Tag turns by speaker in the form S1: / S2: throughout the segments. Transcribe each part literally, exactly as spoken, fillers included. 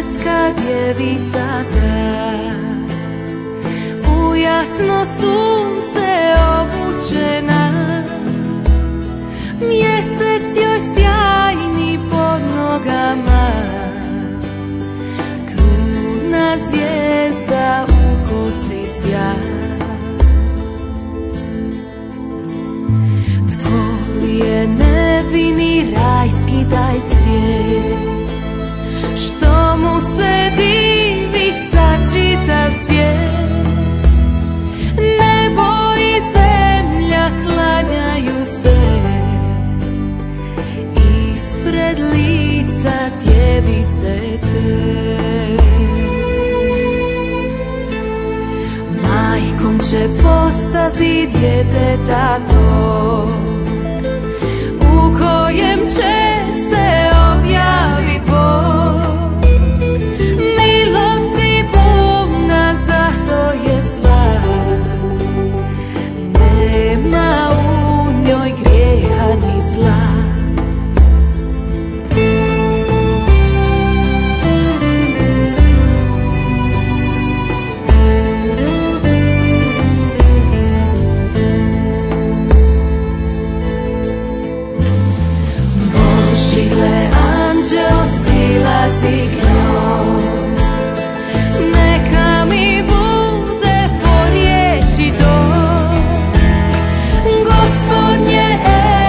S1: nebeska djevica ta, u jasno sunce obučena, mjesec joj sjajni pod nogama, kruna zvijezda u kosi sjaj. Je nevini rajski taj cvijet, što mu se divi sad čitav svijet. Nebo i zemlja klanjaju se ispred lica djevice te. Majkom će postati djeteta to, u kojem će se objavit Bog. Milosti puna, zato je sva, nema u njoj grijeha ni zla. Gle, anđeo silazi k njoj, neka mi bude po riječi to. Gospodnje,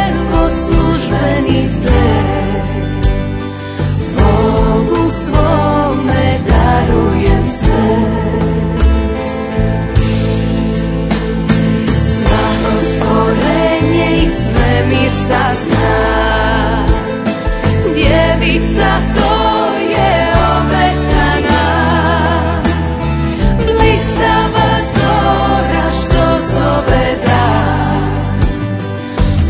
S1: evo službenice, Bogu svome darujem sve. Svako stvorenje i svemir sazna, djevica to je obećana, blistava zora što zove dan,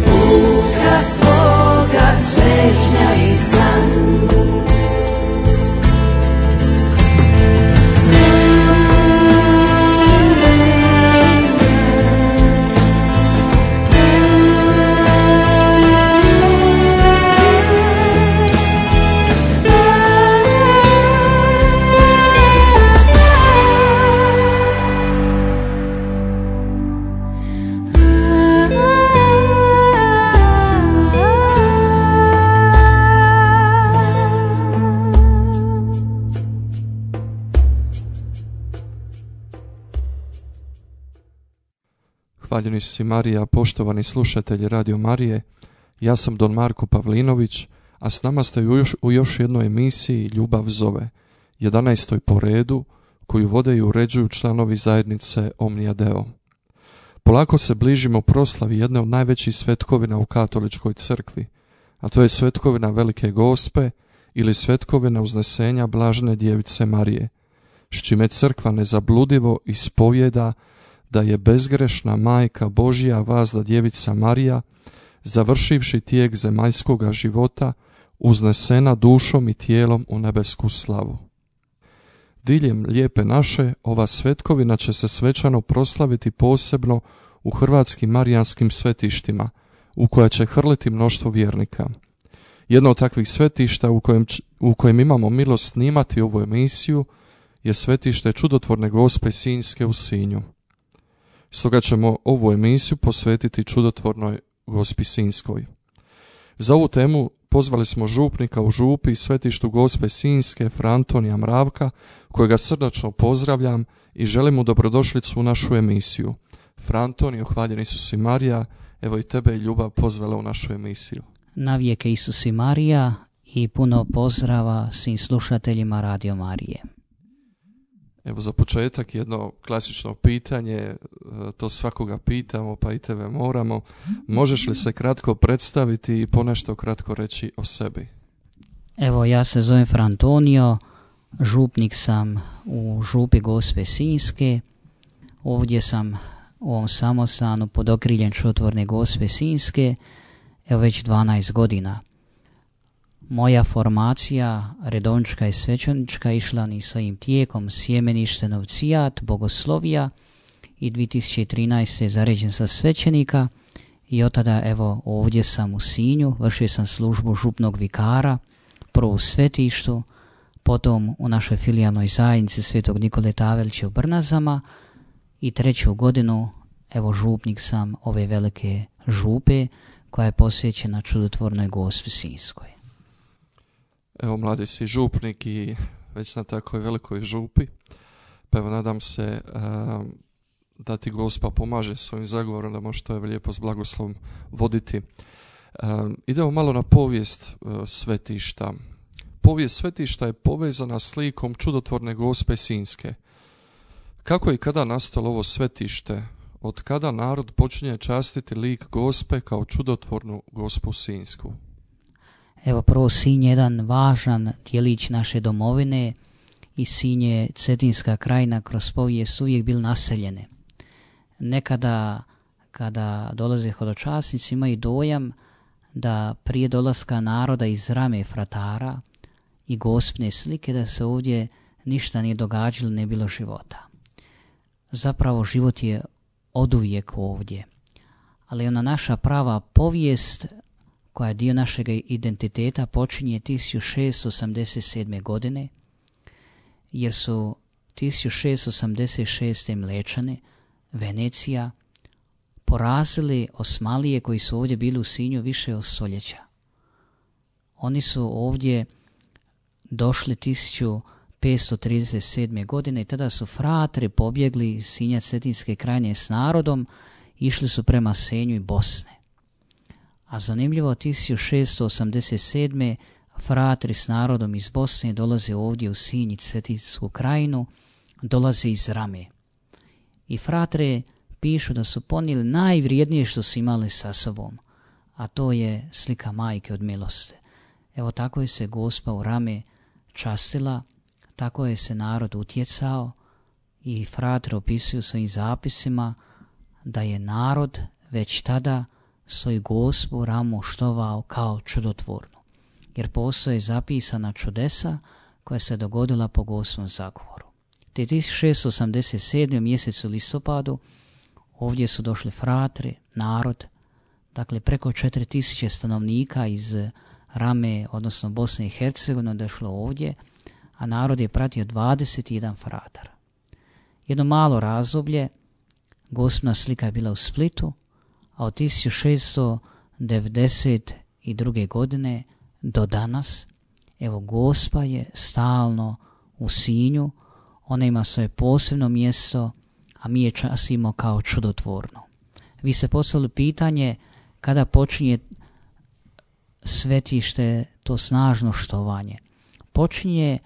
S1: puka svoga čežnja i san.
S2: Hvaljeni si Marija, poštovani slušatelji Radio Marije, ja sam Don Marko Pavlinović, a s nama ste u još, u još jednoj emisiji Ljubav zove, jedanaestoj po redu, koju vode i uređuju članovi zajednice Omnia Deo. Polako se bližimo proslavi jedne od najvećih svetkovina u katoličkoj crkvi, a to je svetkovina Velike Gospe ili svetkovina uznesenja Blažene djevice Marije, s čime crkva nezabludivo ispovjeda da je bezgrešna majka Božja vazda djevica Marija, završivši tijek zemaljskoga života, uznesena dušom i tijelom u nebesku slavu. Diljem lijepe naše, ova svetkovina će se svečano proslaviti posebno u hrvatskim marijanskim svetištima, u koja će hrliti mnoštvo vjernika. Jedno od takvih svetišta u kojem, u kojem imamo milost snimati ovu emisiju je svetište Čudotvorne Gospe Sinjske u Sinju. Stoga ćemo ovu emisiju posvetiti Čudotvornoj Gospi Sinjskoj. Za ovu temu pozvali smo župnika u župi i svetištu Gospe Sinjske, Fra Antonija Mravka, kojega srdačno pozdravljam i želim mu dobrodošlicu u našu emisiju. Fra Antonio, hvaljen Isus i Marija, evo i tebe i ljubav pozvala u našu emisiju.
S3: Navijeke Isus i Marija i puno pozdrava svim slušateljima Radio Marije.
S2: Evo za početak jedno klasično pitanje, to svakoga pitamo pa i tebe moramo. Možeš li se kratko predstaviti i ponešto kratko reći o sebi?
S3: Evo, ja se zovem Fra Antonio, župnik sam u župi Gospe Sinjske. Ovdje sam u ovom samostanu pod okriljem Čudotvorne Gospe Sinjske, evo već dvanaest godina. Moja formacija redovnička i svećenička išla ni svojim tijekom sjemenište, novcijat, bogoslovija i dvije tisuće trinaeste. zaređen sa svećenika i od tada evo ovdje sam u Sinju, vršio sam službu župnog vikara, prvo u svetištu, potom u našoj filijalnoj zajednici Svetog Nikole Tavelića u Brnazama i treću godinu, evo, župnik sam ove velike župe koja je posvećena čudotvornoj Gospi Sinjskoj.
S2: Evo, mladi si župnik i već na takvoj velikoj župi, pa evo nadam se a, da ti Gospa pomaže svojim zagovorom da možeš to lijepo s blagoslovom voditi. A, idemo malo na povijest a, svetišta. Povijest svetišta je povezana s likom čudotvorne Gospe Sinjske. Kako i kada nastalo ovo svetište? Od kada narod počinje častiti lik Gospe kao čudotvornu Gospu Sinjsku?
S3: Evo, prvo, Sinj je jedan važan dijelić naše domovine i Sinj je Cetinska krajina kroz povijest uvijek bil naseljene. Nekada kada dolaze hodočasnici imaju dojam da prije dolaska naroda iz rame fratara i Gospine slike da se ovdje ništa nije događalo, ne bilo života. Zapravo život je oduvijek ovdje, ali ona naša prava povijest koja je dio našeg identiteta počinje tisuću šeststo osamdeset sedme. godine, jer su tisuću šeststo osamdeset šeste. Mlečane, Venecija, porazili Osmalije koji su ovdje bili u Sinju više od stoljeća. Oni su ovdje došli tisuću petsto trideset sedme. godine i tada su fratri pobjegli iz Sinja Cetinske krajine s narodom, išli su prema Senju i Bosne. A zanimljivo, tisuću šeststo osamdeset sedme. fratri s narodom iz Bosne dolaze ovdje u Sinj i Cetinsku krajinu, dolaze iz Rame. I fratre pišu da su ponijeli najvrijednije što su imali sa sobom, a to je slika Majke od milosti. Evo, tako je se Gospa u Rame častila, tako je se narod utjecao i fratre opisuju svojim zapisima da je narod već tada svoju Gospu Ramu štovao kao čudotvornu, jer postoje zapisana čudesa koja se dogodila po Gospom zagovoru. Te tisuću šeststo osamdeset sedme. mjesecu listopadu ovdje su došli fratri, narod, dakle preko četiri tisuće stanovnika iz Rame, odnosno Bosne i Hercegovine, došlo ovdje, a narod je pratio dvadeset jedan fratar. Jedno malo razdoblje, Gospina slika je bila u Splitu, a od tisuću šeststo devedeset druge. godine do danas, evo, Gospa je stalno u Sinju, ona ima svoje posebno mjesto, a mi je častimo kao čudotvorno. Vi se postavili pitanje kada počinje svetište, to snažno štovanje. Počinje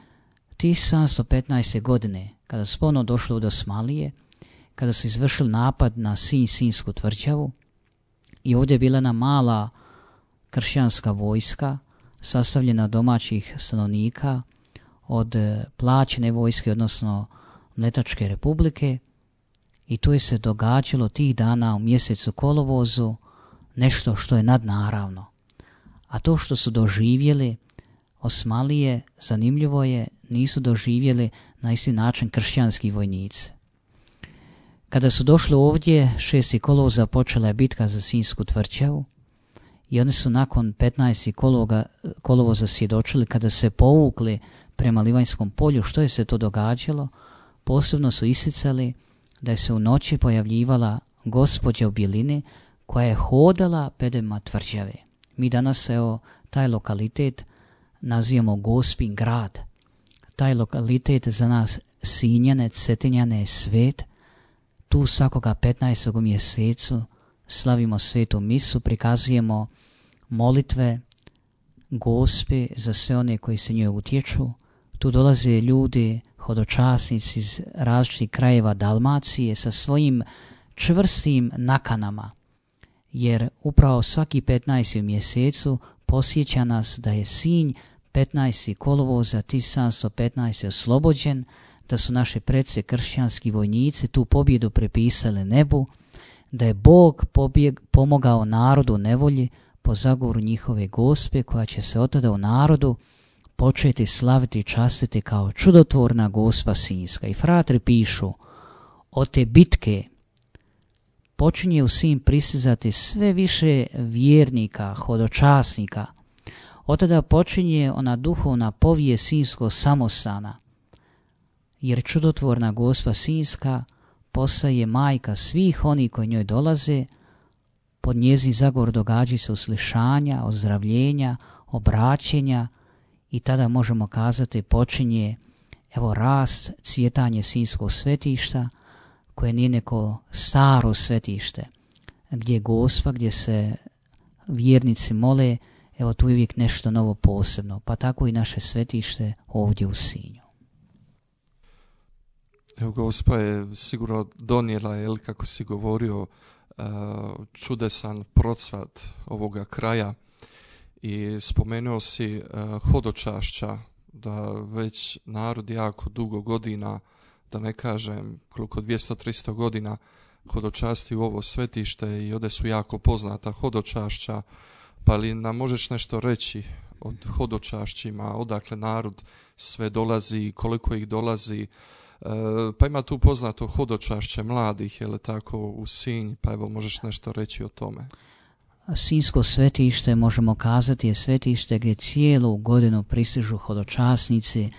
S3: tisuću sedamsto petnaeste. godine, kada su ponovno došli od Osmalije, kada su izvršili napad na Sinj, Sinjsku tvrđavu, i ovdje je bila jedna mala kršćanska vojska sastavljena od domaćih stanovnika, od plaćene vojske, odnosno Mletačke republike, i tu je se događalo tih dana u mjesecu kolovozu nešto što je nadnaravno. A to što su doživjeli Osmalije, zanimljivo je, nisu doživjeli na isti način kršćanski vojnici. Kada su došli ovdje, šestog kolovoza počela je bitka za Sinjsku tvrđavu i oni su nakon petnaestog kolovoza svjedočili kada se povukli prema Livanjskom polju. Što je se to događalo? Posebno su isticali da je se u noći pojavljivala gospođa u bjelini koja je hodala pedema tvrđave. Mi danas, evo, taj lokalitet nazivamo Gospin grad. Taj lokalitet za nas Sinjane, Cetinjane je svet. Tu svakoga petnaestog u mjesecu slavimo svetu misu, prikazujemo molitve Gospe za sve one koji se njoj utječu. Tu dolaze ljudi, hodočasnici iz različitih krajeva Dalmacije sa svojim čvrstim nakanama, jer upravo svaki petnaesti u mjesecu posjeća nas da je Sinj petnaestog kolovoza tisuću sedamsto petnaeste. oslobođen, da su naše prece kršćanski vojnici tu pobjedu prepisali nebu, da je Bog pobjeg, pomogao narodu u nevolji po zagovoru njihove Gospe, koja će se od tada u narodu početi slaviti i častiti kao čudotvorna Gospa Sinjska. I fratri pišu, od te bitke počinje u Sinj prisizati sve više vjernika, hodočasnika. Od tada počinje ona duhovna povijest Sinjskog samostana, jer čudotvorna Gospa Sinjska postaje majka svih onih koji njoj dolaze. Pod njezin zagovor događaju se uslišanja, ozdravljenja, obraćenja i tada možemo kazati počinje evo rast, cvjetanje Sinjskog svetišta, koje nije neko staro svetište, gdje je Gospa, gdje se vjernici mole, evo tu je uvijek nešto novo posebno, pa tako i naše svetište ovdje u Sinju.
S2: Evo, Gospa je sigurno donijela, jel, kako si govorio, čudesan procvat ovoga kraja i spomenuo si hodočašća, da već narod jako dugo godina, da ne kažem koliko dvjesto tristo godina, hodočasti u ovo svetište i ovdje su jako poznata hodočašća. Pa li nam možeš nešto reći o hodočašćima, odakle narod sve dolazi, koliko ih dolazi? E, pa ima tu poznato hodočašće mladih, je li tako, u Sinj, pa evo možeš nešto reći o tome.
S3: Sinjsko svetište, možemo kazati, je svetište gdje cijelu godinu pristižu hodočasnici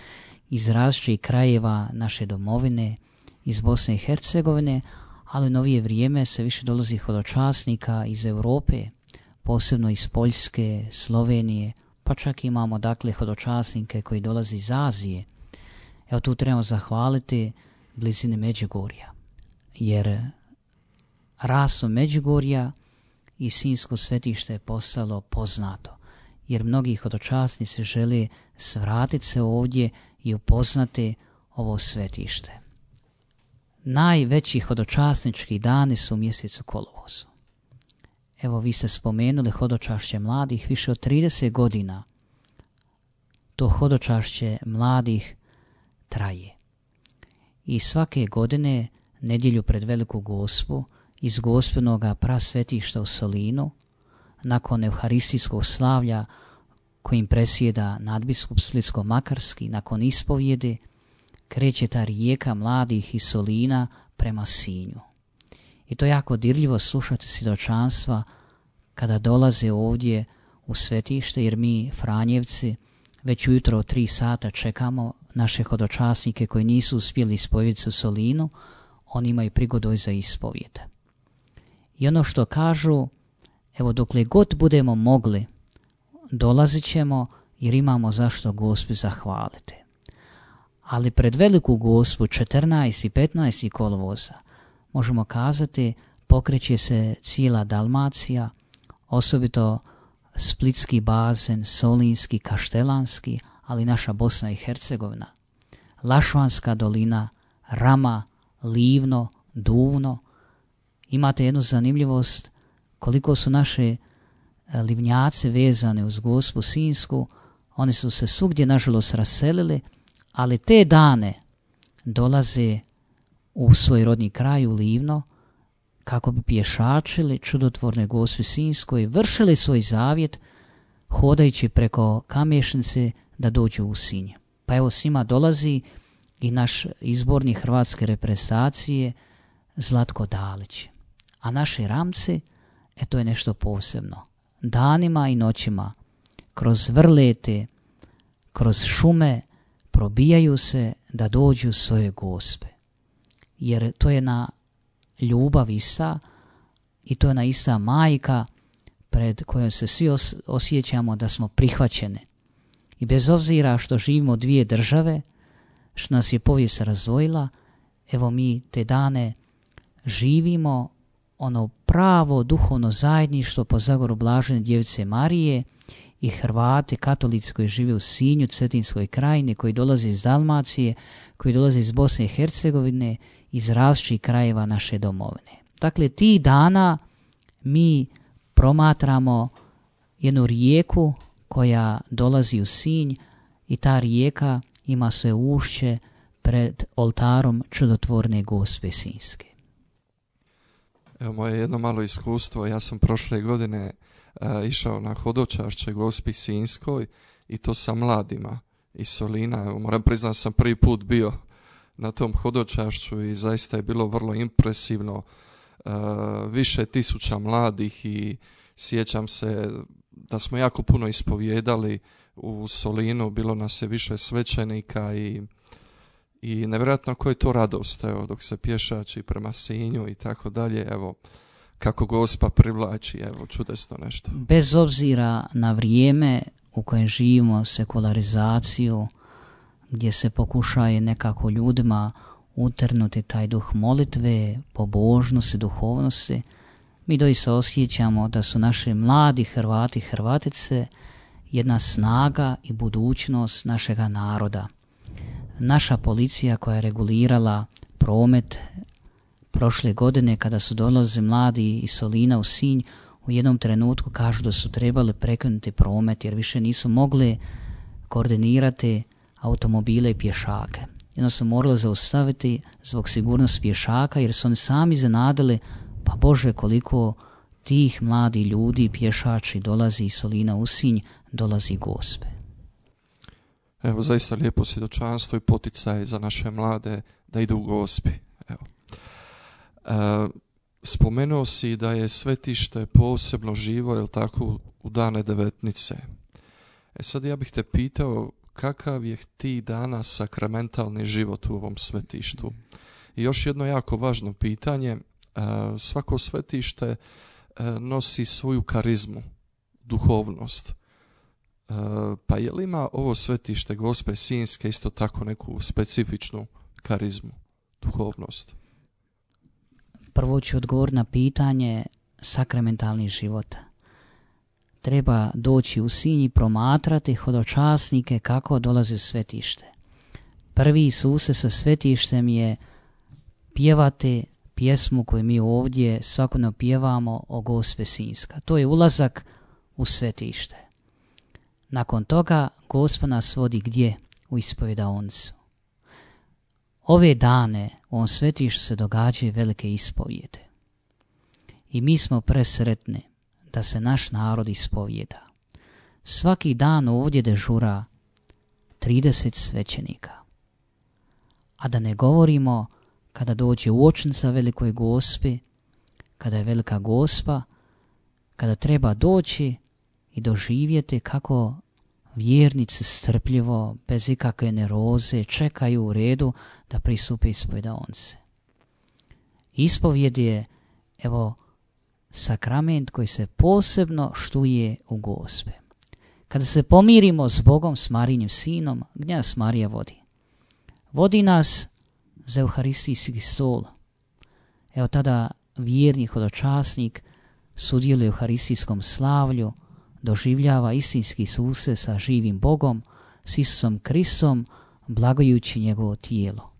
S3: iz različitih krajeva naše domovine, iz Bosne i Hercegovine, ali u novije vrijeme se više dolazi hodočasnika iz Europe, posebno iz Poljske, Slovenije, pa čak imamo dakle hodočasnike koji dolaze iz Azije. Evo tu trebamo zahvaliti blizini Međugorja, jer rastom Međugorja i Sinjsko svetište je postalo poznato, jer mnogi hodočasnici žele svratiti se ovdje i upoznati ovo svetište. Najveći hodočasnički dani su u mjesecu kolovozu. Evo, vi ste spomenuli hodočašće mladih, više od trideset godina to hodočašće mladih traje. I svake godine, nedjelju pred Veliku Gospu, iz Gospinoga prasvetišta u Solinu, nakon euharistijskog slavlja kojim presjeda nadbiskup Splitsko-makarski, nakon ispovjede, kreće ta rijeka mladih iz Solina prema Sinju. I to je jako dirljivo slušati svjedočanstva kada dolaze ovdje u svetište, jer mi Franjevci već ujutro od tri sata čekamo naše hodočasnike koji nisu uspjeli ispovjediti u Solinu, oni imaju prigodu za ispovjed. I ono što kažu, evo dokle god budemo mogli, dolazit ćemo jer imamo zašto Gospi zahvaliti. Ali pred Veliku Gospu četrnaesti i petnaesti kolovoza možemo kazati pokreće se cijela Dalmacija, osobito Splitski bazen, Solinski, Kaštelanski, ali naša Bosna i Hercegovina, Lašvanska dolina, Rama, Livno, Duvno. Imate jednu zanimljivost koliko su naše livnjaci vezane uz Gospu Sinjsku. Oni su se svugdje nažalost raselili, ali te dane dolaze u svoj rodni kraj, u Livno, kako bi pješačili čudotvorne Gospi Sinjskoj, vršili svoj zavjet, hodajući preko Kamešnice da dođu u Sinj. Pa evo svima dolazi i naš izbornik hrvatske reprezentacije Zlatko Dalić. A naši Ramci, e to je nešto posebno. Danima i noćima, kroz vrlete, kroz šume, probijaju se da dođu svoje Gospe. Jer to je na ljubav ista i to je na ista majka pred kojom se svi os- osjećamo da smo prihvaćene. I bez obzira što živimo dvije države, što nas je povijest razdvojila, evo mi te dane živimo ono pravo duhovno zajedništvo po zagoru Blažene Djevice Marije i Hrvati, katolici koji žive u Sinju, Cetinskoj krajini, koji dolaze iz Dalmacije, koji dolaze iz Bosne i Hercegovine, iz različitih krajeva naše domovine. Dakle, tih dana mi promatramo jednu rijeku koja dolazi u Sinj i ta rijeka ima svoje ušće pred oltarom čudotvorne Gospe Sinjske.
S2: Evo moje jedno malo iskustvo, ja sam prošle godine a, išao na hodočašće Gospi Sinjskoj i to sa mladima iz Solina. Evo, moram priznati sam prvi put bio na tom hodočašću i zaista je bilo vrlo impresivno. A, više tisuća mladih i Sjećam se da smo jako puno ispovijedali u Solinu, bilo nas je više svećenika i, i nevjerojatno koja je to radost, evo, dok se pješači prema Sinju i tako dalje, evo, kako Gospa privlači, evo, čudesno nešto.
S3: Bez obzira na vrijeme u kojem živimo, sekularizaciju, gdje se pokušaje nekako ljudima utrnuti taj duh molitve, pobožnosti, duhovnosti, mi doista osjećamo da su naši mladi Hrvati i Hrvatice jedna snaga i budućnost našega naroda. Naša policija koja je regulirala promet prošle godine kada su dolazili mladi iz Solina u Sinj, u jednom trenutku kažu da su trebali prekinuti promet jer više nisu mogli koordinirati automobile i pješake. Jedno su morali zaustaviti zbog sigurnosti pješaka jer su oni sami zanadili, pa Bože, koliko tih mladih ljudi, pješači dolazi iz Solina u Sinj, dolazi Gospe.
S2: Evo, zaista lijepo svjedočanstvo i poticaj za naše mlade da idu u Gospi. Evo. E, spomenuo si da je svetište posebno živo, jel tako, u dane devetnice. E sad ja bih te pitao kakav je ti danas sakramentalni život u ovom svetištu. I još jedno jako važno pitanje, e, svako svetište e, nosi svoju karizmu, duhovnost. E, pa je li ima ovo svetište Gospe Sinjske isto tako neku specifičnu karizmu, duhovnost?
S3: Prvo ću odgovoriti na pitanje sakramentalnih života. Treba doći u Sinj i promatrati hodočasnike kako dolaze u svetište. Prvi susret sa svetištem je pjevati pjesmu koju mi ovdje svakodnevno pjevamo o Gospe Sinjska. To je ulazak u svetište. Nakon toga Gospa nas vodi gdje? U ispovjedaonicu. Ove dane u ovom svetištu se događaju velike ispovjede. I mi smo presretni da se naš narod ispovjeda. Svaki dan ovdje dežura trideset svećenika. A da ne govorimo kada dođe uočnica Velikoj Gospi, kada je Velika Gospa, kada treba doći i doživjeti kako vjernici strpljivo, bez ikakve neroze, čekaju u redu da pristupe ispovjedaonici. Ispovjed je, evo, sakrament koji se posebno štuje u Gospe. Kada se pomirimo s Bogom, s Marijnim sinom, gdje nas Marija vodi? Vodi nas za euharistijski stol. Evo tada vjerni hodočasnik sudjeluje u euharistijskom slavlju, doživljava istinski susret sa živim Bogom, s Isusom Kristom, blagojući njegovo tijelo.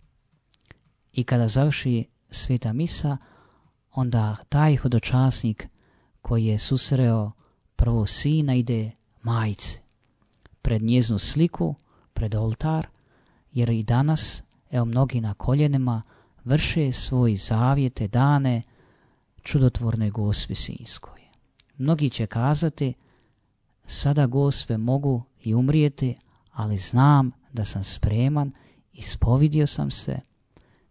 S3: I kada završi sveta misa, onda taj hodočasnik koji je susreo prvo sina ide majci pred njeznu sliku, pred oltar, jer i danas, evo, mnogi na koljenima vrše svoje zavjete dane čudotvornoj Gospi Sinjskoj. Mnogi će kazati, sada Gospe mogu i umrijeti, ali znam da sam spreman, ispovidio sam se,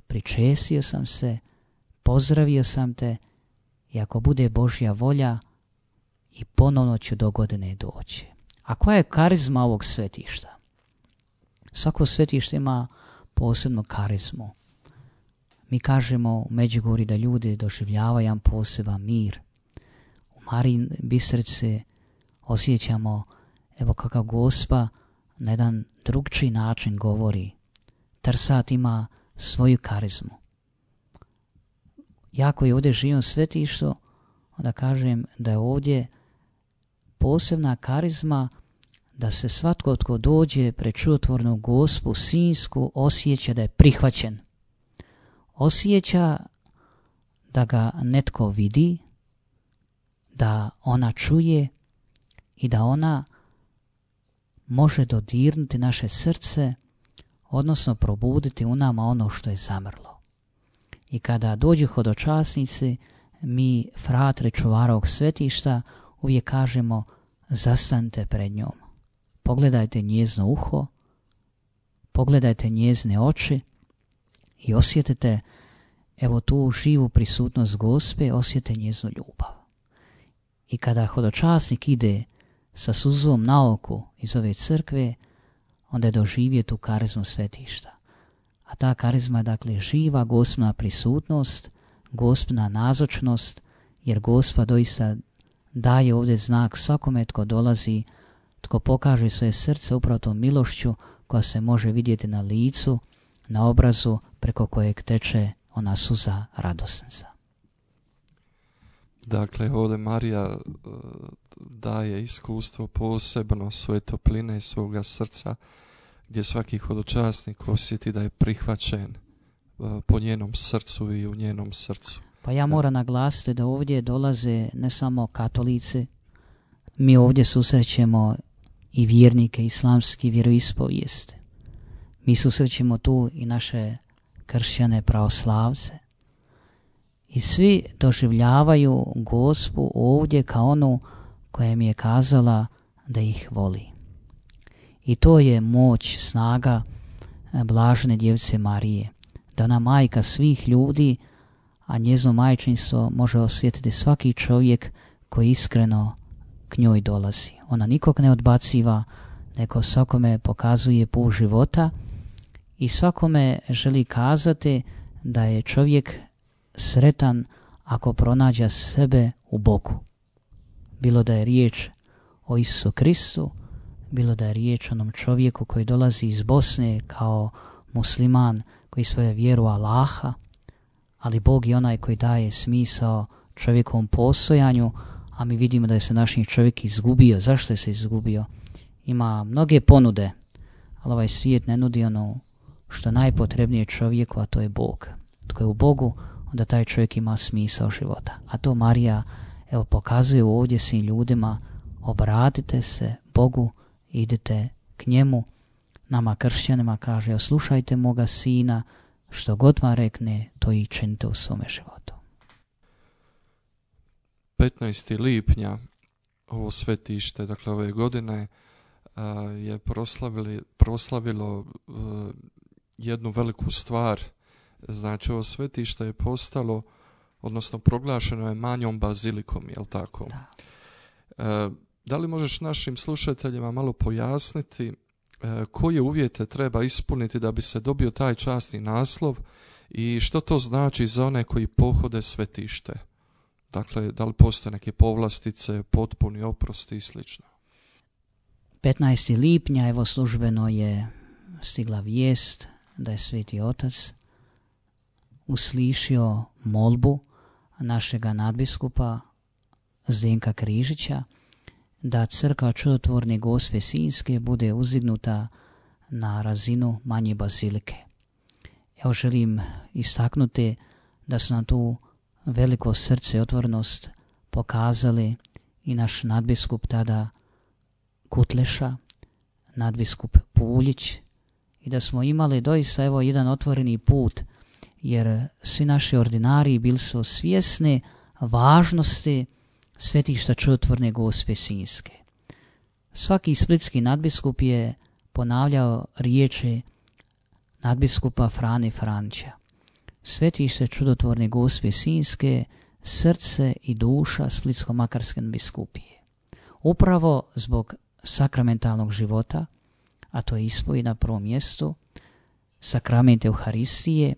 S3: pričestio sam se, pozdravio sam te i ako bude Božja volja i ponovno ću do godine doći. A koja je karizma ovog svetišta? Svako svetište ima posebnu karizmu. Mi kažemo u Međugorju da ljudi doživljavaju jedan poseban mir. U Marijin Bistrici osjećamo, evo, kako Gospa na jedan drugčiji način govori. Trsat ima svoju karizmu. Ja koji ovdje živim u svetištu, onda kažem da je ovdje posebna karizma da se svatko tko dođe pred čudotvornu Gospu Sinjsku osjeća da je prihvaćen. Osjeća da ga netko vidi, da ona čuje i da ona može dodirnuti naše srce, odnosno probuditi u nama ono što je zamrlo. I kada dođu hodočasnici, mi, fratre čuvara ovog svetišta, uvijek kažemo zastanite pred njom. Pogledajte njezino uho, pogledajte njezine oči i osjetite, evo, tu živu prisutnost Gospe, osjetite njezinu ljubav. I kada hodočasnik ide sa suzom na oku iz ove crkve, onda je doživio tu karizmu svetišta. A ta karizma je dakle živa Gospina prisutnost, Gospina nazočnost, jer Gospa doista daje ovdje znak svakome tko dolazi, tko pokaže svoje srce upravo tom milošću koja se može vidjeti na licu, na obrazu preko kojeg teče ona suza radosnica.
S2: Dakle, ovdje Marija uh, daje iskustvo posebno svoje topline svoga srca, gdje svaki hodočasnik osjeti da je prihvaćen uh, po njenom srcu i u njenom srcu.
S3: Pa ja moram naglasiti da ovdje dolaze ne samo katolici, mi ovdje susrećemo i vjernike islamske vjeroispovijesti. Mi susrećemo tu i naše kršćane pravoslavce. I svi doživljavaju Gospu ovdje kao onu koja mi je kazala da ih voli. I to je moć, snaga blažene djevice Marije, da ona majka svih ljudi, a njezino majčinstvo može osjetiti svaki čovjek koji iskreno k njoj dolazi. Ona nikog ne odbaciva, nego svakome pokazuje put života i svakome želi kazati da je čovjek sretan ako pronađe sebe u Bogu. Bilo da je riječ o Isusu Kristu, bilo da je riječ o onom čovjeku koji dolazi iz Bosne kao musliman koji svoje vjeru Allaha, ali Bog je onaj koji daje smisao čovjekovom postojanju, a mi vidimo da je se naš čovjek izgubio. Zašto je se izgubio? Ima mnoge ponude, ali ovaj svijet ne nudi ono što je najpotrebnije čovjeku, a to je Bog. Tko je u Bogu, onda taj čovjek ima smisao života. A to Marija evo pokazuje ovdje svim ljudima, obratite se Bogu, idite k njemu. Nama kršćanima kaže, slušajte moga sina, što god vam rekne, to i činite u svome životu.
S2: petnaestog lipnja ovo svetište, dakle ove godine, a, je proslavili, proslavilo a, jednu veliku stvar. Znači ovo svetište je postalo, odnosno proglašeno je manjom bazilikom, jel tako?
S3: Da.
S2: A, da li možeš našim slušateljima malo pojasniti koje uvjete treba ispuniti da bi se dobio taj časni naslov i što to znači za one koji pohode svetište? Dakle, da li postoje neke povlastice, potpuni oprosti i slično?
S3: petnaestog lipnja evo službeno je stigla vijest da je Sveti Otac uslišio molbu našega nadbiskupa Zdenka Križića da crkva Čudotvorne Gospe Sinjske bude uzdignuta na razinu manje bazilike. Evo želim istaknuti da su nam tu veliko srce i otvorenost pokazali i naš nadbiskup tada Kutleša, nadbiskup Puljić, i da smo imali doista evo jedan otvoreni put, jer svi naši ordinari bili su svjesni važnosti svetišta Čudotvorne Gospe Sinjske. Svaki splitski nadbiskup je ponavljao riječi nadbiskupa Frane Franća. Svetište Čudotvorne Gospe Sinjske, srce i duša Splitsko-makarske biskupije. Upravo zbog sakramentalnog života, a to je ispovijed na prvom mjestu, sakrament Euharistije,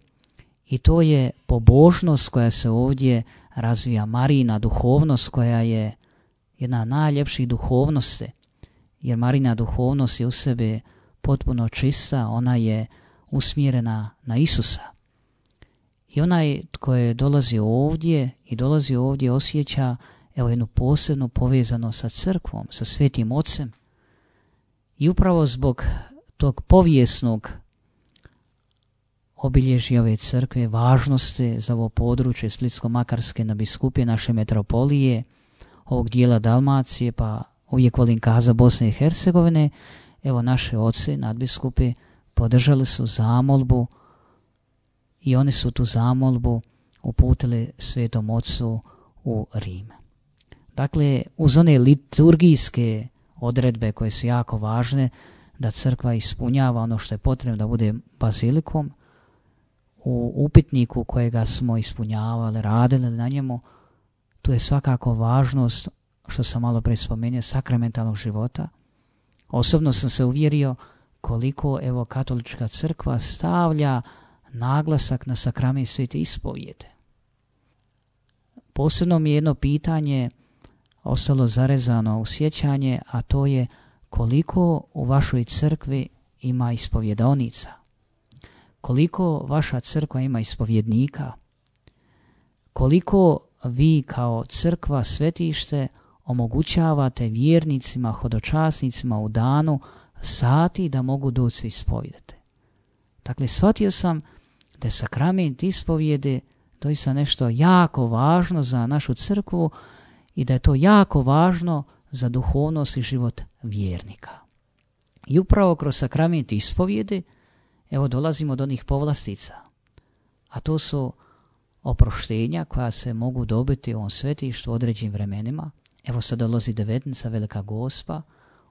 S3: i to je pobožnost koja se ovdje razvija, Marijina duhovnost koja je jedna od najljepših duhovnosti, jer Marijina duhovnost je u sebi potpuno čista, ona je usmjerena na Isusa. I onaj tko je dolazi ovdje i dolazi ovdje osjeća evo jednu posebnu povezanost sa crkvom, sa Svetim Ocem. I upravo zbog tog povijesnog obilježja ove crkve, važnosti za ovo područje Splitsko-makarske nadbiskupije, naše metropolije, ovog dijela Dalmacije, pa uvijek volim kaza Bosne i Hercegovine, evo naše oci, nadbiskupi, podržali su zamolbu i oni su tu zamolbu uputili Svetom Ocu u Rim. Dakle, uz one liturgijske odredbe koje su jako važne, da crkva ispunjava ono što je potrebno da bude bazilikom, u upitniku kojega smo ispunjavali, radili na njemu, tu je svakako važnost što sam malo pre spomenuo, sakramentalnog života. Osobno sam se uvjerio koliko evo katolička crkva stavlja naglasak na sakrament svete ispovijede. Posebno mi je jedno pitanje ostalo zarezano u sjećanje, a to je koliko u vašoj crkvi ima ispovjedonica, koliko vaša crkva ima ispovjednika, koliko vi kao crkva svetište omogućavate vjernicima, hodočasnicima u danu sati da mogu doći se ispovjedati. Dakle, shvatio sam da je sakrament ispovjede doista nešto jako važno za našu crkvu i da je to jako važno za duhovnost i život vjernika. I upravo kroz sakrament ispovjede evo dolazimo do onih povlastica, a to su oproštenja koja se mogu dobiti u ovom svetištu u određenim vremenima. Evo sad dolazi devetnica, Velika Gospa,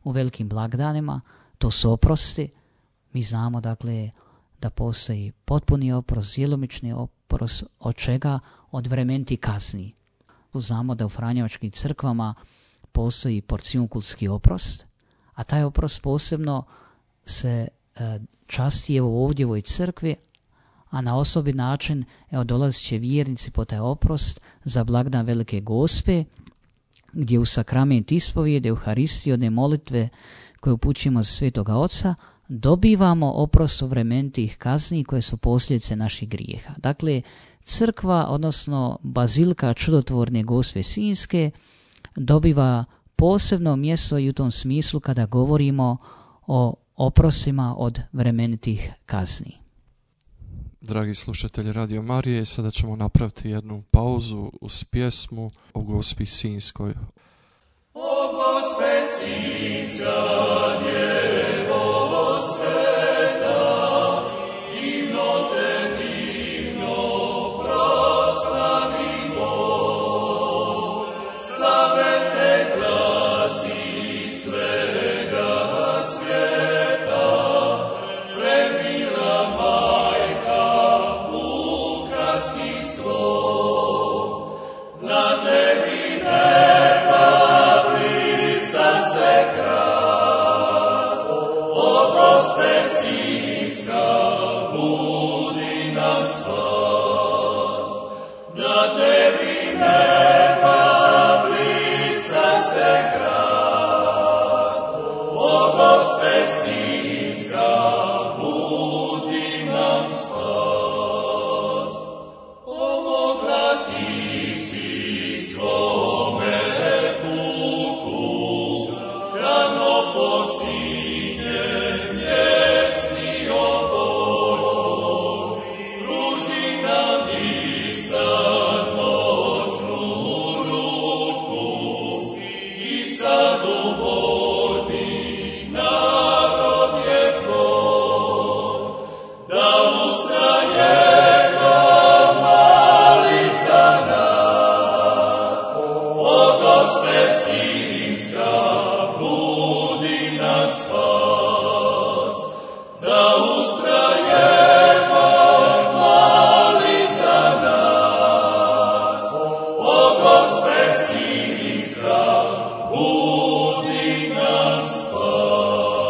S3: u velikim blagdanima, to su oprosti. Mi znamo dakle da postoji potpuni oprost, djelomični oprost, od čega? Od vremeniti kazni. Znamo da u franjevačkim crkvama postoji porcijunkulski oprost, a taj oprost posebno se e, časti evo ovdje u ovoj crkvi, a na osobit način evo dolazit će vjernici po taj oprost za blagdan Velike Gospe, gdje u sakrament ispovijede, Euharistije, one molitve koje upućujemo za Svetoga Oca, dobivamo oprost u vremenitih kazni koje su posljedice naših grijeha. Dakle, crkva, odnosno bazilika Čudotvorne Gospe Sinjske, dobiva posebno mjesto i u tom smislu kada govorimo o oprostima od vremenitih kazni.
S2: Dragi slušatelji Radio Marije, sada ćemo napraviti jednu pauzu uz pjesmu o Gospi Sinjskoj.
S4: O Gospe Sinjska, njegovo sveta, divno te divno proslavimo, slave te glasi svega svijeta, premila majka, Buka si svoj, na tebi neba blista se kras, o Gospe Sinjska, budi nam spas, na tebi neba blista se kras, o Gospe Sinjska, budi nam spas. Pomogla ti si svome puku, rano posinje mjesni oboj, pruži nam i sad noćnu ruku, i sad u borbi narod je tvoj, da ustraješ nam, mali za nas, o Gospe Sinjska, budi nam spas, da ustraješ nam, mali za nas, o Gospe Sinjska, budi nam spas.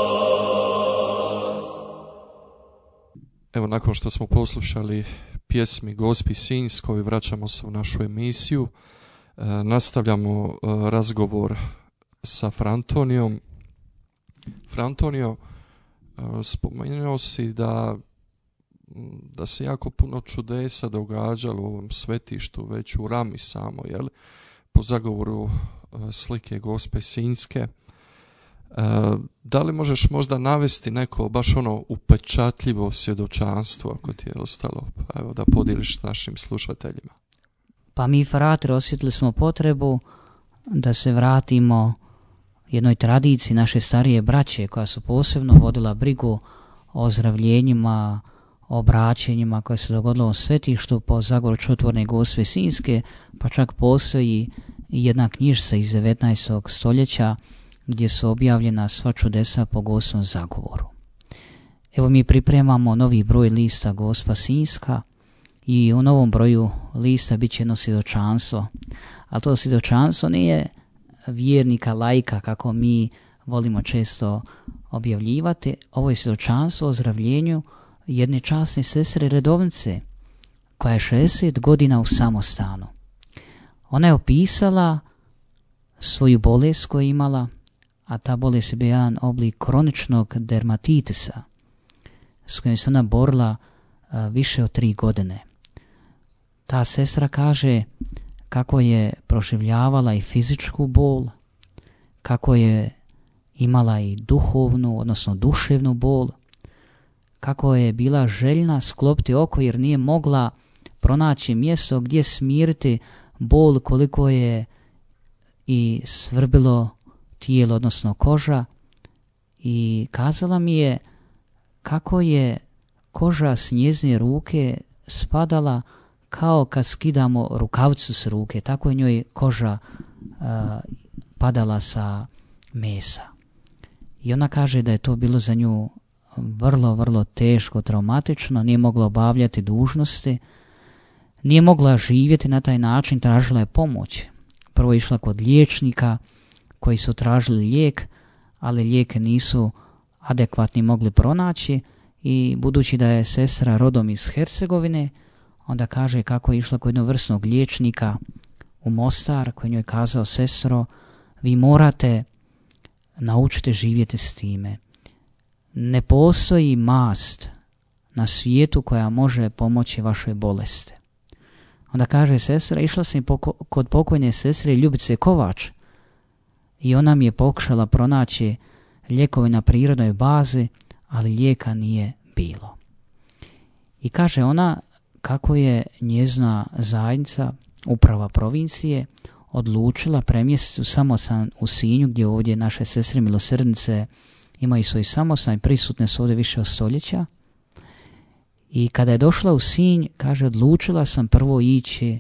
S2: Evo, nakon što smo poslušali pjesmi Gospi Sinjskoj, vraćamo se u našu emisiju. E, nastavljamo e, razgovor sa Frantonijom. Frantonio, e, spomenuo si da, da se jako puno čudesa događalo u ovom svetištu, već u Rami samo, jel? Po zagovoru e, slike Gospe Sinjske. E, da li možeš možda navesti neko baš ono upečatljivo svjedočanstvo ako ti je ostalo, pa evo da podijeliš s našim slušateljima?
S3: Pa mi, fratri, osjetili smo potrebu da se vratimo jednoj tradiciji naše starije braće koja su posebno vodila brigu o ozdravljenjima, o obraćenjima koje se dogodilo u svetištu po zagovoru Čudotvorne Gospe Sinjske, pa čak postoji jedna knjižica iz devetnaestog stoljeća gdje su objavljena sva čudesa po Gospovom zagovoru. Evo, mi pripremamo novi broj lista Gospa Sinjska i u novom broju lista bit će jedno svjedočanstvo, ali to svjedočanstvo nije vjernika, laika, kako mi volimo često objavljivati. Ovo je svjedočanstvo o ozdravljenju jedne časne sestre redovnice koja je šezdeset godina u samostanu. Ona je opisala svoju bolest koju je imala, a ta bolest je bio jedan oblik kroničnog dermatitisa s kojim se ona borila a, više od tri godine. Ta sestra kaže kako je proživljavala i fizičku bol, kako je imala i duhovnu, odnosno duševnu bol, kako je bila željna sklopiti oko jer nije mogla pronaći mjesto gdje smiriti bol koliko je i svrbilo tijelo, odnosno koža. I kazala mi je kako je koža s njezine ruke spadala kao kad skidamo rukavcu s ruke, tako je njoj koža uh, padala sa mesa. I ona kaže da je to bilo za nju vrlo, vrlo teško, traumatično, nije mogla obavljati dužnosti, nije mogla živjeti na taj način, tražila je pomoć. Prvo je išla kod liječnika koji su tražili lijek, ali lijeke nisu adekvatni mogli pronaći i budući da je sestra rodom iz Hercegovine, onda kaže kako je išla kod jednog vrsnog liječnika u Mostar koji njoj je kazao: sestro, vi morate naučiti živjeti s time. Ne postoji mast na svijetu koja može pomoći vašoj bolesti. Onda kaže sestra, išla sam poko- kod pokojne sestre Ljubice Kovač i ona mi je pokušala pronaći lijekove na prirodnoj bazi, ali lijeka nije bilo. I kaže ona kako je njezina zajednica, uprava provincije, odlučila premjestiti u samostan u Sinju, gdje ovdje naše sestre milosrdnice imaju svoj samostan i prisutne su ovdje više od stoljeća. I kada je došla u Sinj, kaže, odlučila sam prvo ići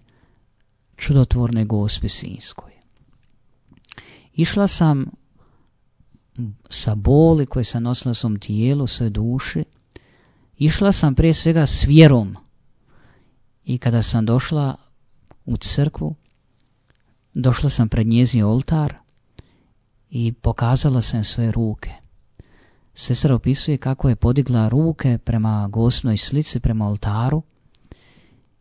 S3: Čudotvornoj Gospi Sinjskoj. Išla sam sa boli koje sam nosila u svom tijelu, u svojoj duši. Išla sam prije svega s vjerom. I kada sam došla u crkvu, došla sam pred njezin oltar i pokazala sam svoje ruke. Sestra opisuje kako je podigla ruke prema Gospinoj slici, prema oltaru,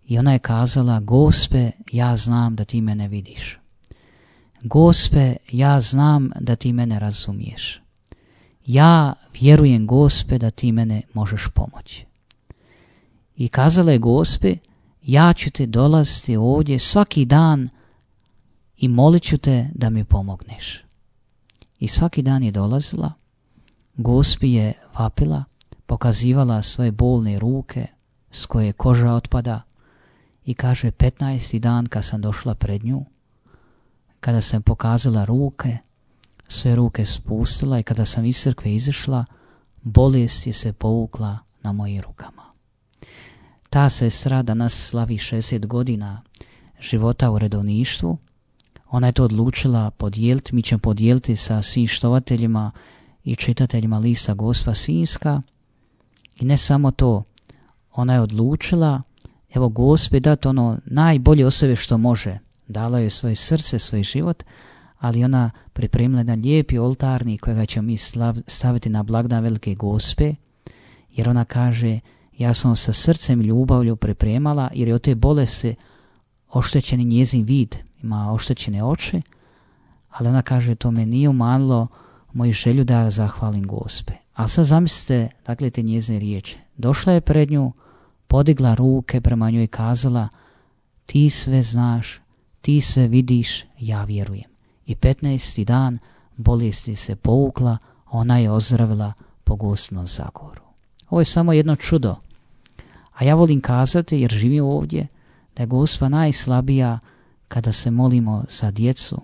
S3: i ona je kazala: Gospe, ja znam da ti mene vidiš. Gospe, ja znam da ti mene razumiješ. Ja vjerujem, Gospe, da ti mene možeš pomoći. I kazala je: Gospe, ja ću te dolaziti ovdje svaki dan i molit ću te da mi pomogneš. I svaki dan je dolazila, Gospi je vapila, pokazivala svoje bolne ruke s koje koža otpada i kaže: petnaesti dan kad sam došla pred nju, kada sam pokazala ruke, sve ruke spustila i kada sam iz crkve izašla, bolest je se povukla na mojim rukama. Ta sestra danas slavi šezdeset godina života u redovništvu. Ona je to odlučila podijeliti, mi ćemo podijeliti sa svim štovateljima i čitateljima lista Gospa Sinjska. I ne samo to, ona je odlučila, evo, Gospi dati ono najbolje od sebe što može. Dala je svoje srce, svoj život, ali ona pripremila jedan lijepi oltarnik kojega ćemo mi slav, staviti na blagdan Velike Gospe, jer ona kaže: ja sam sa srcem i ljubavlju pripremala, jer je od te bolesti oštećeni njezin vid, ima oštećene oči, ali ona kaže: to me nije umanilo moju želju da zahvalim Gospe. A sad zamislite, dakle, te njezine riječi. Došla je pred nju, podigla ruke prema njoj i kazala: ti sve znaš, ti sve vidiš, ja vjerujem. I petnaesti dan bolesti se povukla, ona je ozdravila po Gospinom zagovoru. Ovo je samo jedno čudo. A ja volim kazati, jer živim ovdje, da je Gospa najslabija kada se molimo za djecu,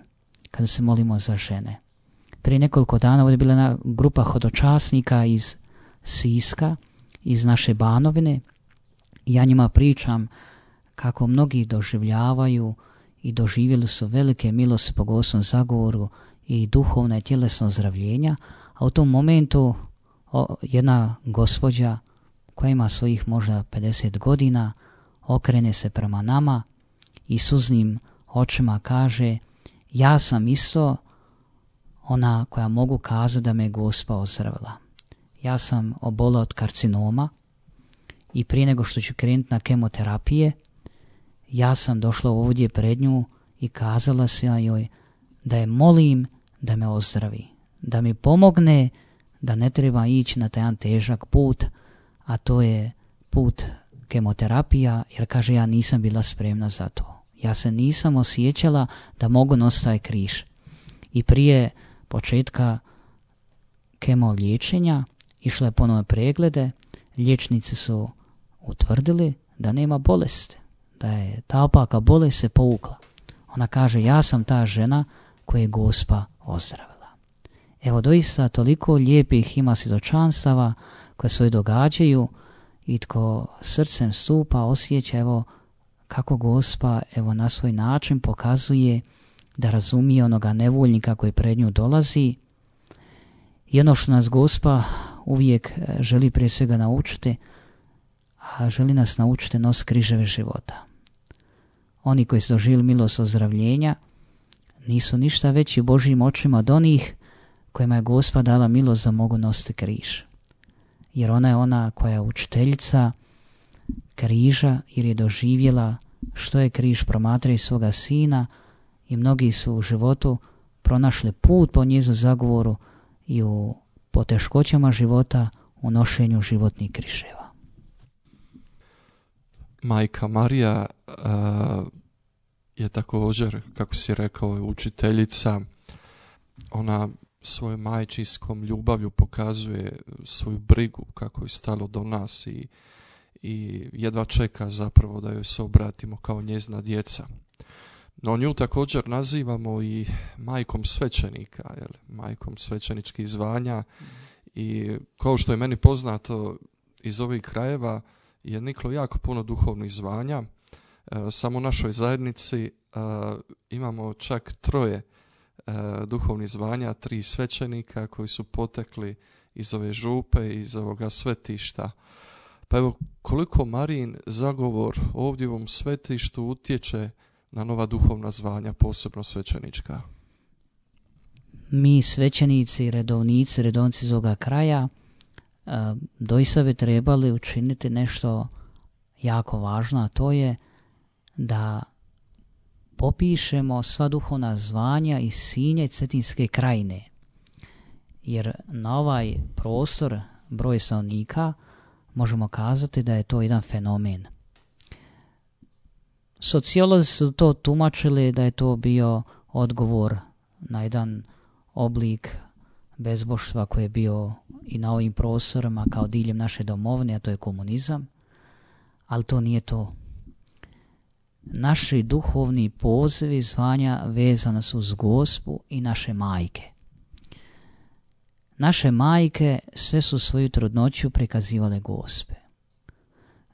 S3: kada se molimo za žene. Prije nekoliko dana ovdje je bila jedna grupa hodočasnika iz Siska, iz naše Banovine. I ja njima pričam kako mnogi doživljavaju i doživjeli su velike milosti po Gospinom zagovoru i duhovna i tjelesna ozdravljenja, a u tom momentu o, jedna gospođa koja ima svojih možda pedeset godina okrene se prema nama i suznim očima kaže: ja sam isto ona koja mogu kazati da me Gospa ozdravila. Ja sam obolao od karcinoma i prije nego što ću krenuti na kemoterapije, ja sam došla ovdje pred nju i kazala sam joj da je molim da me ozdravi, da mi pomogne da ne treba ići na taj jedan težak put, a to je put kemoterapija, jer kaže ja nisam bila spremna za to. Ja se nisam osjećala da mogu nositi taj križ. I prije početka kemo liječenja išla je ponovno preglede, liječnici su utvrdili da nema bolesti, da je ta opaka bolest se povukla. Ona kaže ja sam ta žena koju je Gospa ozdravila. Evo doista toliko lijepih ima svjedočanstava koje se događaju i tko srcem stupa osjeća evo kako Gospa evo na svoj način pokazuje da razumije onoga nevoljnika koji pred nju dolazi. I ono što nas Gospa uvijek želi prije svega naučiti, a želi nas naučiti nos križeve života. Oni koji su doživjeli milost ozdravljenja nisu ništa veći Božjim očima od onih kojima je Gospa dala milost da mogu nositi križ. Jer ona je ona koja je učiteljica križa jer je doživjela što je križ promatrajući svoga sina i mnogi su u životu pronašli put po njezinu zagovoru i u poteškoćama života u nošenju životnih križeva.
S2: Majka Marija uh, je također, kako si rekao, je učiteljica. Ona svojom majčinskom ljubavlju pokazuje svoju brigu kako je stalo do nas i, i jedva čeka zapravo da joj se obratimo kao njezina djeca. No nju također nazivamo i majkom svećenika, jel? Majkom svećeničkih zvanja i kao što je meni poznato iz ovih krajeva je niklo jako puno duhovnih zvanja. E, samo u našoj zajednici e, imamo čak troje e, duhovnih zvanja, tri svećenika koji su potekli iz ove župe, iz ovoga svetišta. Pa evo koliko Marijin zagovor ovdje u ovom svetištu utječe na nova duhovna zvanja, posebno svećenička.
S3: Mi svećenici, redovnici, redovnici iz ovoga kraja e, doista bi trebali učiniti nešto jako važno, a to je da popišemo sva duhovna zvanja iz Sinja i Cetinske krajine. Jer na ovaj prostor, broj stanovnika, možemo kazati da je to jedan fenomen. Sociolozi su to tumačili da je to bio odgovor na jedan oblik bezboštva koji je bio i na ovim prostorima kao diljem naše domovine, a to je komunizam, ali to nije to. Naši duhovni pozivi zvanja vezani su uz Gospu i naše majke. Naše majke sve su svoju trudnoću prikazivale Gospe.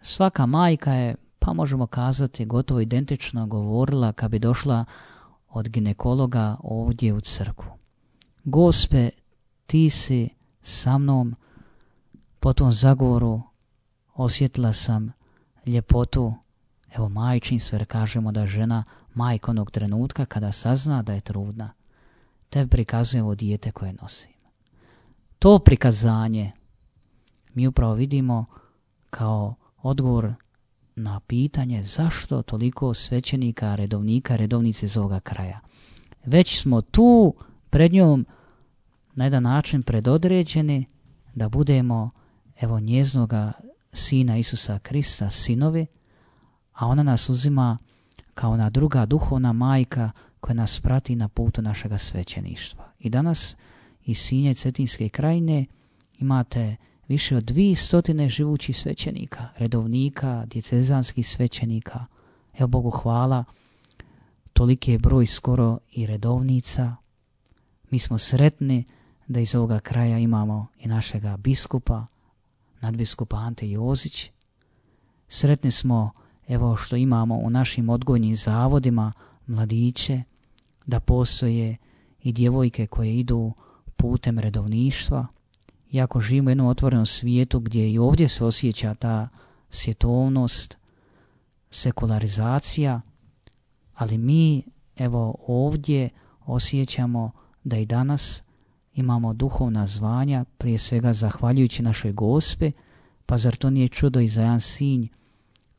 S3: Svaka majka je, pa možemo kazati, gotovo identično govorila kad bi došla od ginekologa ovdje u crkvu. Gospe, ti si sa mnom, po tom zagovoru osjetila sam ljepotu, evo majčinstvo, jer kažemo da žena majka onog trenutka kada sazna da je trudna, te prikazuje ovo dijete koje nosim. To prikazanje mi upravo vidimo kao odgovor na pitanje zašto toliko svećenika, redovnika, redovnice iz ovoga kraja. Već smo tu pred njom na jedan način predodređeni da budemo evo njeznoga Sina Isusa Krista sinovi, a ona nas uzima kao ona druga duhovna majka koja nas prati na putu našega svećeništva. I danas iz Sinja i Cetinske krajine imate više od dvije stotine živućih svećenika, redovnika, djecezanskih svećenika. Evo Bogu hvala, toliki je broj skoro i redovnica. Mi smo sretni da iz ovoga kraja imamo i našega biskupa, nadbiskupa Ante Jozić. Sretni smo evo što imamo u našim odgojnim zavodima mladiće, da postoje i djevojke koje idu putem redovništva. Iako živimo u jednom otvorenom svijetu gdje i ovdje se osjeća ta svjetovnost, sekularizacija, ali mi evo ovdje osjećamo da i danas imamo duhovna zvanja, prije svega zahvaljujući našoj Gospe, pa zar to nije čudo i za jedan sinj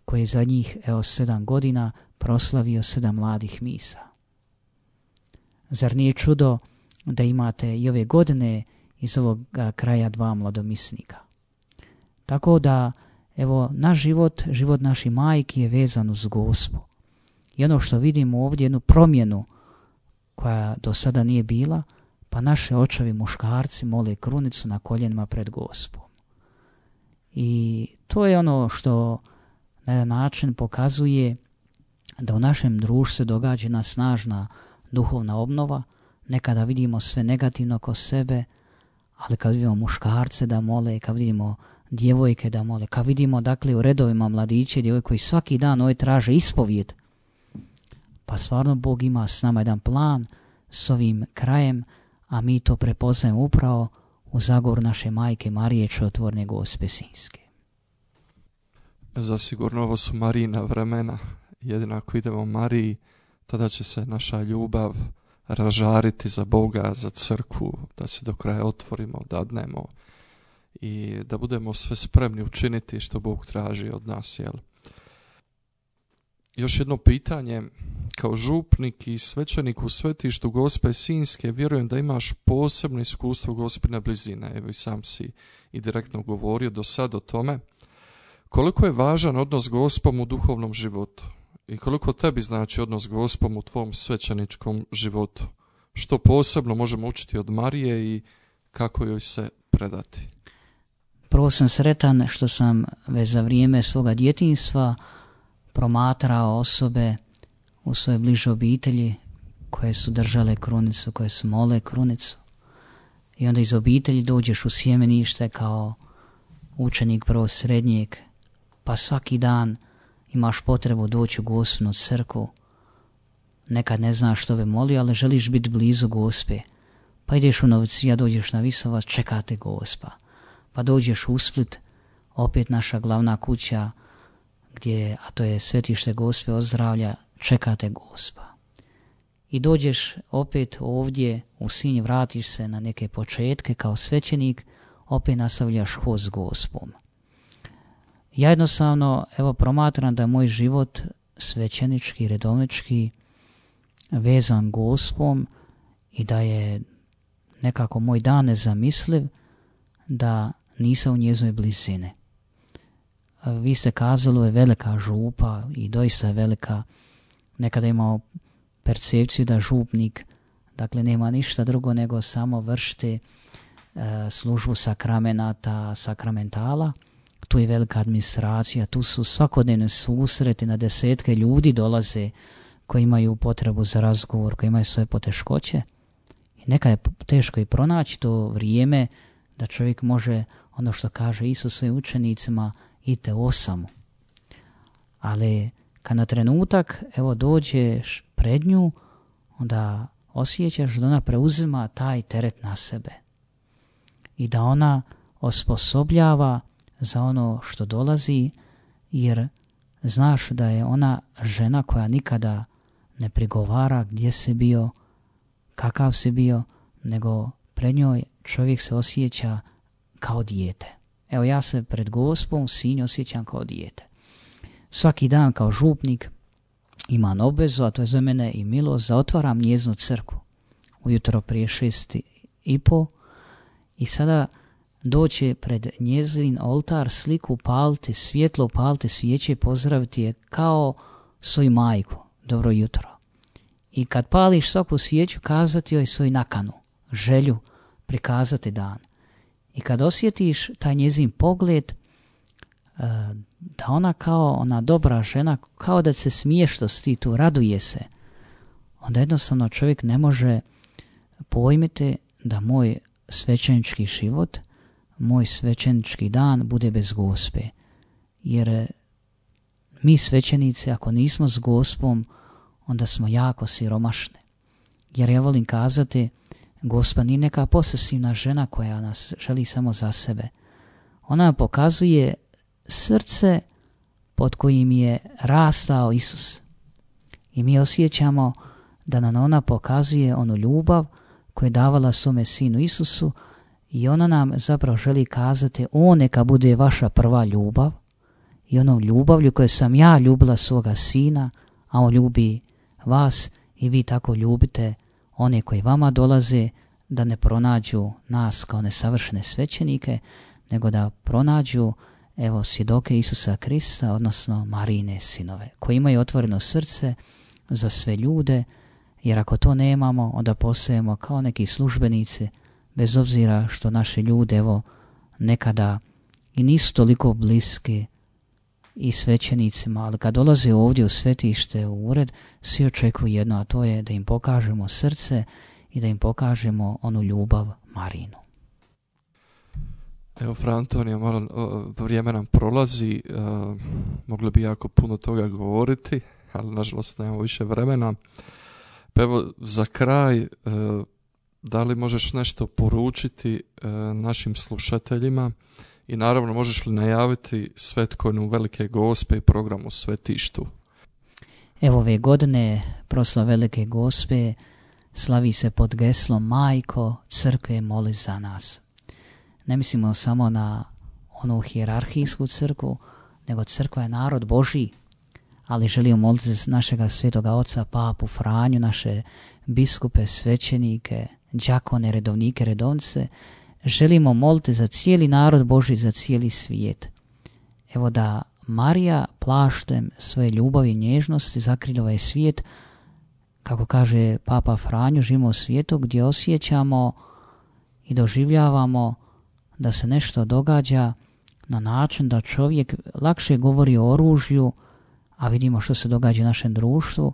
S3: koji je zadnjih evo sedam godina proslavio sedam mladih misa? Zar nije čudo da imate i ove godine iz ovog kraja dva mladomisnika? Tako da, evo, naš život, život naših majki je vezan uz Gospu. I ono što vidimo ovdje, jednu promjenu koja do sada nije bila, pa naše očevi muškarci mole krunicu na koljenima pred Gospom. I to je ono što na jedan način pokazuje da u našem društvu se događa jedna snažna duhovna obnova. Nekada vidimo sve negativno oko sebe, ali kad vidimo muškarce da mole, kad vidimo djevojke da mole, kad vidimo dakle u redovima mladiće i djevojke koji svaki dan ovaj traže ispovijed, pa stvarno Bog ima s nama jedan plan s ovim krajem, a mi to prepoznajemo upravo u zagovoru naše majke Marije Čudotvorne Gospe Sinjske.
S2: Zasigurno ovo su Marijina vremena. Jedino ako idemo Mariji, tada će se naša ljubav ražariti za Boga, za crkvu, da se do kraja otvorimo, dadnemo i da budemo sve spremni učiniti što Bog traži od nas. Jel? Još jedno pitanje. Kao župnik i svećenik u svetištu Gospe Sinjske, vjerujem da imaš posebno iskustvo Gospine blizine. Evo i sam si i direktno govorio do sad o tome. Koliko je važan odnos s Gospom u duhovnom životu? I koliko tebi znači odnos s Gospom u tvom svećeničkom životu? Što posebno možemo učiti od Marije i kako joj se predati?
S3: Prvo sam sretan što sam već za vrijeme svoga djetinjstva promatrao osobe u svojoj bližoj obitelji koje su držale krunicu, koje su mole krunicu. I onda iz obitelji dođeš u sjemenište kao učenik prvog srednjeg, pa svaki dan imaš potrebu doći u Gospinu crkvu. Nekad ne znaš što bi molio, ali želiš biti blizu Gospe. Pa ideš u novicija, dođeš na Visovac, čekate Gospa. Pa dođeš u Split, opet naša glavna kuća, gdje, a to je svetište Gospe Ozdravlja, čekate Gospa. I dođeš opet ovdje u Sinj, vratiš se na neke početke kao svećenik, opet nastavljaš hod s Gospom. Ja jednostavno, evo, promatram da je moj život svećenički, redovnički vezan Gospom i da je nekako moj dan nezamisliv da nisam u njezinoj blizini. Vi ste kazali, je velika župa i doista je velika. Nekada imamo percepciju da župnik, dakle, nema ništa drugo nego samo vršiti e, službu sakramenata, sakramentala. Tu je velika administracija, tu su svakodnevne susreti, na desetke ljudi dolaze koji imaju potrebu za razgovor, koji imaju svoje poteškoće. I nekad je teško i pronaći to vrijeme da čovjek može, ono što kaže Isus svojim učenicima, idite osamu. Ali kad na trenutak, evo, dođeš pred nju, onda osjećaš da ona preuzima taj teret na sebe i da ona osposobljava za ono što dolazi, jer znaš da je ona žena koja nikada ne prigovara gdje si bio, kakav si bio, nego pred njoj čovjek se osjeća kao dijete. Evo, ja se pred Gospom u Sinju osjećam kao dijete. Svaki dan kao župnik imam obvezu, a to je za mene i milost, da otvaram njezinu crkvu ujutro prije šest i po i sada doći pred njezin oltar, sliku upaliti, svjetlo upaliti, svijeće i pozdraviti je kao svoju majku, dobro jutro. I kad pališ svaku svijeću, kazati joj svoju nakanu, želju, prikazati dan. I kad osjetiš taj njezin pogled, da ona kao ona dobra žena, kao da se smije što si ti tu, raduje se, onda jednostavno čovjek ne može pojmiti da moj svećenički život, moj svećenički dan bude bez Gospe. Jer mi svećenici, ako nismo s Gospom, onda smo jako siromašni. Jer ja volim kazati, Gospa nije neka posesivna žena koja nas želi samo za sebe. Ona nam pokazuje srce pod kojim je rastao Isus. I mi osjećamo da nam ona pokazuje onu ljubav koje je davala svome sinu Isusu, i ona nam zapravo želi kazati, on neka bude vaša prva ljubav, i onom ljubavlju koje sam ja ljubila svoga sina, a on ljubi vas i vi tako ljubite one koji vama dolaze, da ne pronađu nas kao nesavršene svećenike, nego da pronađu evo svjedoke Isusa Krista, odnosno Marijine sinove, koji imaju otvoreno srce za sve ljude, jer ako to nemamo, onda postajemo kao neki službenici, bez obzira što naši ljude evo nekada i nisu toliko bliski i svećenicima, ali kad dolaze ovdje u svetište, u ured, svi očekuju jedno, a to je da im pokažemo srce i da im pokažemo onu ljubav Marinu.
S2: Evo, Fra Antonija, malo vrijeme nam prolazi, uh, mogli bi jako puno toga govoriti, ali nažalost nemamo više vremena. Pa evo, za kraj, uh, da li možeš nešto poručiti uh, našim slušateljima i naravno možeš li najaviti Svetkonju Velike Gospe i program u svetištu?
S3: Evo, ove godine proslava Velike Gospe slavi se pod geslom Majko crkve moli za nas. Ne mislimo samo na onu hijerarhijsku crkvu, nego crkva je narod Božji, ali želimo moliti za našega svetoga oca Papu Franju, naše biskupe, svećenike, đakone, redovnike, redovnice. Želimo moliti za cijeli narod Božji, za cijeli svijet. Evo da Marija plaštem svoje ljubavi i nježnosti zakrila ovaj svijet, kako kaže Papa Franjo, živimo u svijetu gdje osjećamo i doživljavamo da se nešto događa na način da čovjek lakše govori o oružju, a vidimo što se događa u našem društvu,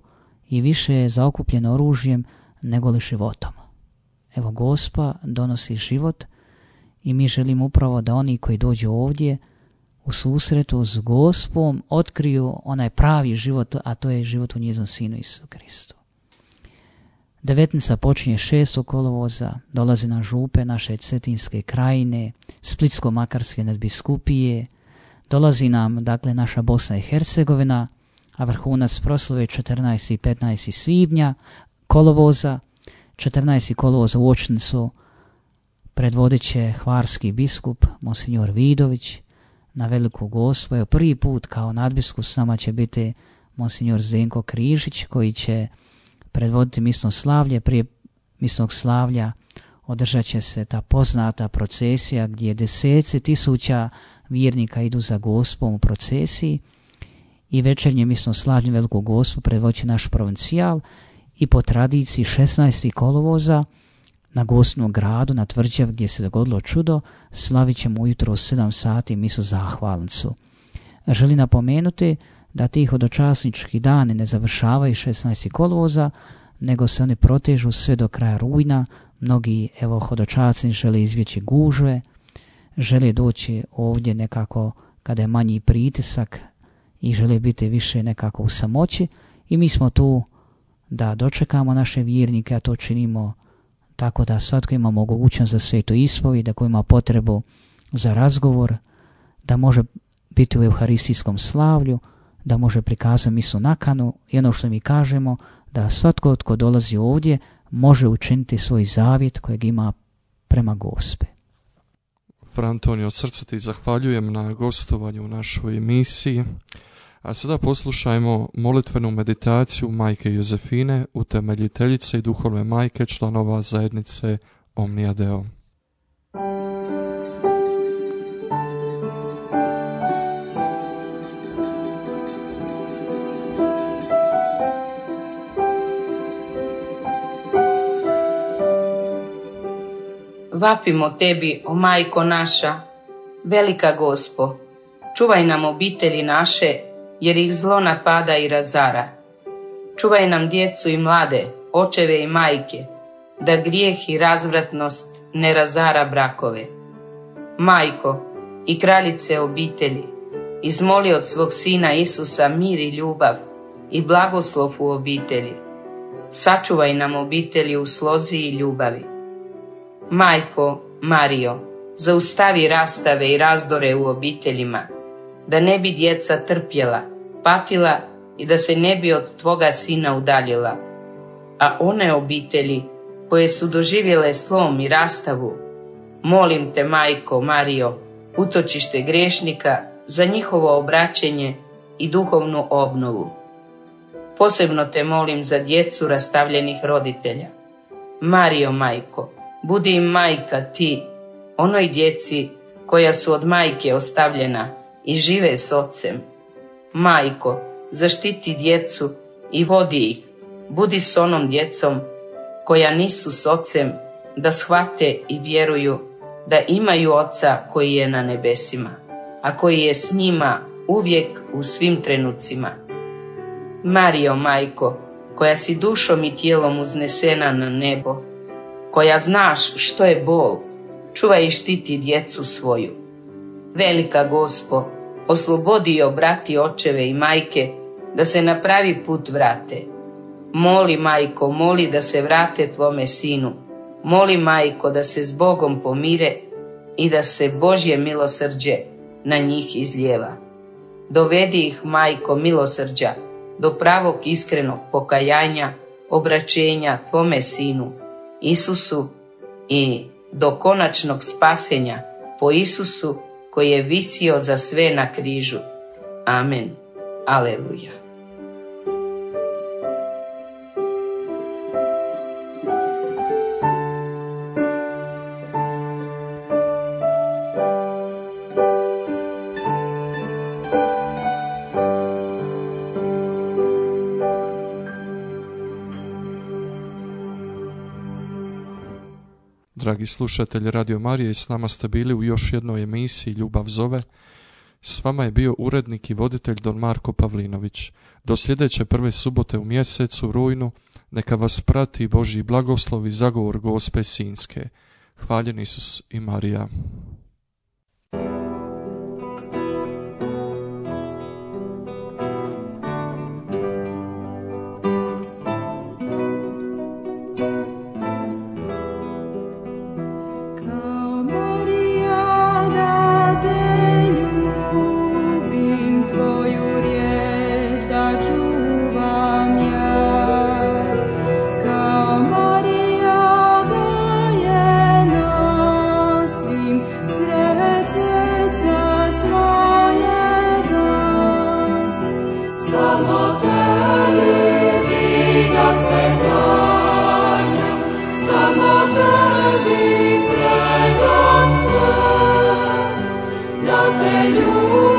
S3: i više je zaokupljen oružjem nego li životom. Evo, Gospa donosi život i mi želimo upravo da oni koji dođu ovdje u susretu s Gospom otkriju onaj pravi život, a to je život u njeznom Sinu Isusu Kristu. Devetnica počinje šestog kolovoza, dolazi na župe naše Cetinske krajine, Splitsko-makarske nadbiskupije, dolazi nam dakle naša Bosna i Hercegovina, a vrhunac proslave četrnaestog i petnaestog svibnja kolovoza. četrnaestog kolovoza u Očnicu predvodit će hvarski biskup Monsignor Vidović na Veliku Gospu. Evo, prvi put kao nadbiskup s nama će biti Monsignor Zdenko Križić, koji će predvoditi misno slavlje. Prije misnog slavlja održat će se ta poznata procesija gdje deseci tisuća vjernika idu za Gospom u procesiji, i večernje misno slavlje Veliku Gospu predvodit će naš provincijal, i po tradiciji šesnaestog kolovoza na Gospinom gradu, na tvrđavi gdje se dogodilo čudo, slavit ćemo ujutro u sedam sati misu zahvalnicu. Želim napomenuti da ti hodočasnički dani ne završavaju šesnaestog kolovoza, nego se oni protežu sve do kraja rujna. Mnogi evo hodočasni žele izbjeći gužve, žele doći ovdje nekako kada je manji pritisak i žele biti više nekako u samoći, i mi smo tu da dočekamo naše vjernike, a to činimo tako da svatko ima mogućnost za svetu ispovijed, da ko ima potrebu za razgovor, da može biti u euharistijskom slavlju, da može prikazati misu nakanu, i ono što mi kažemo, da svatko tko dolazi ovdje može učiniti svoj zavjet kojeg ima prema Gospe.
S2: Fra Antonio, od srca ti zahvaljujem na gostovanju u našoj emisiji. A sada poslušajmo molitvenu meditaciju Majke Jozefine, utemeljiteljice i duhovne majke članova zajednice Omnia Deo.
S5: Vapimo tebi, o majko naša, velika Gospo, čuvaj nam obitelji naše, jer ih zlo napada i razara. Čuvaj nam djecu i mlade, očeve i majke, da grijeh i razvratnost ne razara brakove. Majko i kraljice obitelji, izmoli od svog Sina Isusa mir i ljubav i blagoslov u obitelji. Sačuvaj nam obitelji u slozi i ljubavi. Majko Marijo, zaustavi rastave i razdore u obiteljima, da ne bi djeca trpjela, patila i da se ne bi od tvoga Sina udaljila. A one obitelji koje su doživjele slom i rastavu, molim te, Majko Marijo, utočište griješnika, za njihovo obraćenje i duhovnu obnovu. Posebno te molim za djecu rastavljenih roditelja. Marijo, Majko, budi im majka ti, onoj djeci koja su od majke ostavljena i žive s ocem. Majko, zaštiti djecu i vodi ih, budi s onom djecom koja nisu s ocem, da shvate i vjeruju da imaju oca koji je na nebesima, a koji je s njima uvijek u svim trenucima. Marijo, Majko, koja si dušom i tijelom uznesena na nebo, koja znaš što je bol, čuvaj i štiti djecu svoju. Velika Gospo, oslobodi i obrati očeve i majke da se na pravi put vrate. Moli, Majko, moli da se vrate tvome sinu. Moli, Majko, da se s Bogom pomire i da se Božje milosrđe na njih izlijeva. Dovedi ih, Majko milosrđa, do pravog iskrenog pokajanja, obraćenja tvome sinu, Isusu, i do konačnog spasenja po Isusu koji je visio za sve na križu. Amen. Aleluja.
S2: Dragi slušatelji Radio Marije, i s nama ste bili u još jednoj emisiji Ljubav zove. S vama je bio urednik i voditelj don Marko Pavlinović. Do sljedeće prve subote u mjesecu rujnu neka vas prati Božji blagoslov i zagovor Gospe Sinjske. Hvaljen Isus i Marija.
S4: Te